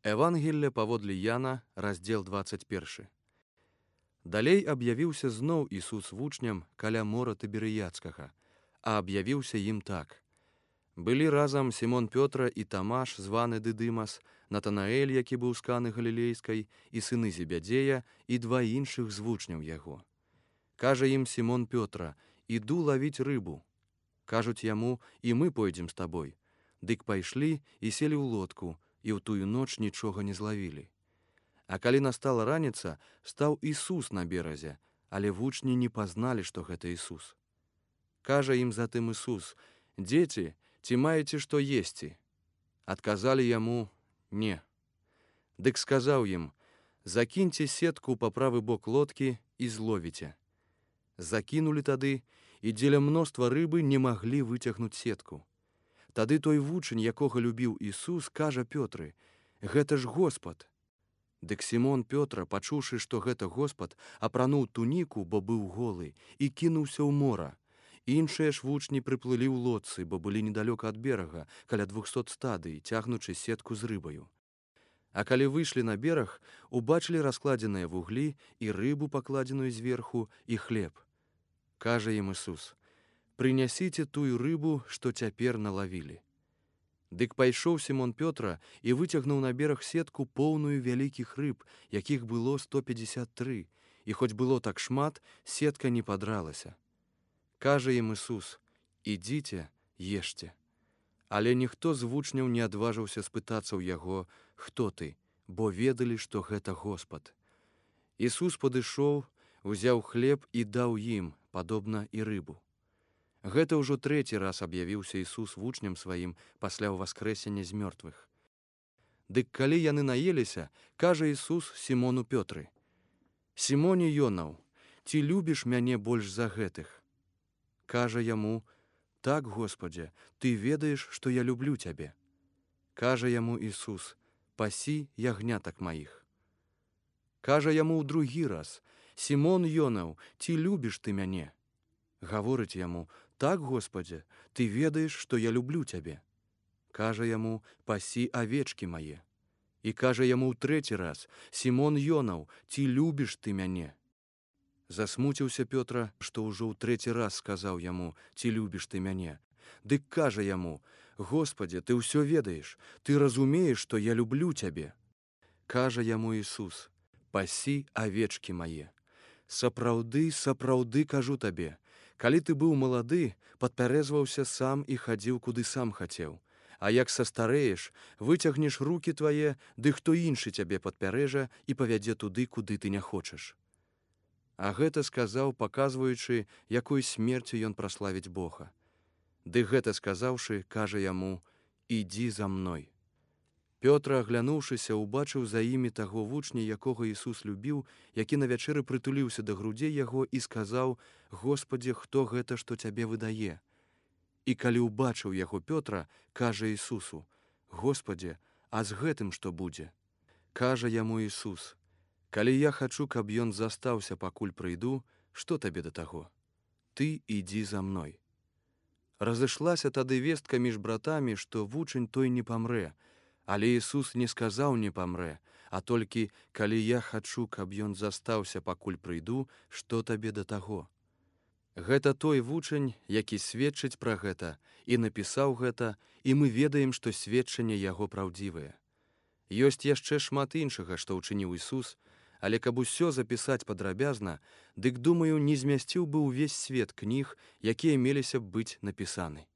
Евангелля паводле Яна, раздзел 21. Далей аб'явіўся зноў Ісус вучням каля мора Тыберыядскага, а аб'явіўся ім так. Былі разам Сімон Пётра і Тамаш, званы Дыдымас, Натанаэль, які быў з Каны Галілейскай, і сыны Зебядзея, і два іншых з вучняў яго. Кажа ім Сімон Пётра: «Іду лавіць рыбу». Кажуць яму: «І мы пойдзем з табой». Дык пайшлі і селі ў лодку, і ў тую ноч нічога не злавілі. А калі настала раніца, стаў Ісус на беразе, але вучні не пазналі, што гэта Ісус. Кажа ім затым Ісус: «Дзеці, ці маеце што есці?» Адказалі яму: «Не». Дык сказаў ім: «Закіньце сетку па правы бок лодкі і зловіце». Закінулі тады, і дзеля мноства рыбы не маглі выцягнуць сетку. Тады той вучань, якога любіў Ісус, кажа Пётры: «Гэта ж Господ». Дык Сімон Пётра, пачуўшы, што гэта Господ, апрануў туніку, бо быў голы, і кінуўся ў мора. Іншыя ж вучні прыплылі ў лодцы, бо былі недалёка ад берага, каля 200 стадый, цягнучы сетку з рыбаю. А калі выйшлі на бераг, убачылі раскладзеныя вуглі і рыбу, пакладзеную зверху, і хлеб. Кажа ім Ісус: «Прынясіце тую рыбу, што цяпер налавілі». Дык пайшоў Сімон Пётра і выцягнуў на бераг сетку поўную вялікіх рыб, якіх было 153, і хоць было так шмат, сетка не падралася. Кажа ім Ісус: «Ідзіце, ешце». Але ніхто з вучняў не адважыўся спытацца ў яго: «Хто ты?», бо ведалі, што гэта Господ. Ісус падышоў, узяў хлеб і даў ім, падобна і рыбу. Гэта ўжо трэці раз аб'явіўся Ісус вучням сваім пасля ўваскрэсення з мёртвых. Дык калі яны наеліся, кажа Ісус Сімону Пётры: «Сімоне Йонаў, ці любіш мяне больш за гэтых?» Кажа яму: «Так, Господзе, ты ведаеш, што я люблю цябе». Кажа яму Ісус: «Пасі ягнятак маіх». Кажа яму ў другі раз: «Сімон Йонаў, ці любіш ты мяне?» Гаворыць яму: «Так, Господзе, ты ведаеш, што я люблю цябе». Кажа яму: «Пасі авечкі мае». І кажа яму ў трэці раз: «Сімон Йонаў, ці любіш ты мяне?» Засмуціўся Пётра, што ўжо ў трэці раз сказаў яму: «Ці любіш ты мяне?» Дык кажа яму: «Господзе, ты ўсё ведаеш, ты разумееш, што я люблю цябе». Кажа яму Ісус: «Пасі авечкі мае. Сапраўды, сапраўды кажу табе, калі ты быў малады, падпярэзваўся сам і хадзіў, куды сам хацеў. А як састарэеш, выцягнеш рукі твае, ды хто іншы цябе падпярэжа і павядзе туды, куды ты не хочаш». А гэта сказаў, паказваючы, якой смерцю ён праславіць Бога. Ды гэта сказаўшы, кажа яму: «Ідзі за мной». Пётр, аглянуўшыся, убачыў за імі таго вучня, якога Ісус любіў, які на вячэры прытуліўся да грудзей яго і сказаў: «Господзе, хто гэта, што цябе выдае?» І калі ўбачыў яго Пётра, кажа Ісусу: «Господзе, а з гэтым што будзе?» Кажа яму Ісус: «Калі я хачу, каб ён застаўся, пакуль прыйду, што табе да таго? Ты ідзі за мной». Разышлася тады вестка між братамі, што вучань той не памрэ. Але Ісус не сказаў: «Не памрэ», а толькі: «Калі я хачу, каб ён застаўся, пакуль прыйду, што табе да таго?» Гэта той вучань, які сведчыць пра гэта, і напісаў гэта, і мы ведаем, што сведчанне яго праўдзівае. Ёсць яшчэ шмат іншага, што ўчыніў Ісус, але каб усё запісаць падрабязна, дык, думаю, не змясціў бы ўвесь свет кніг, якія меліся б быць напісаны.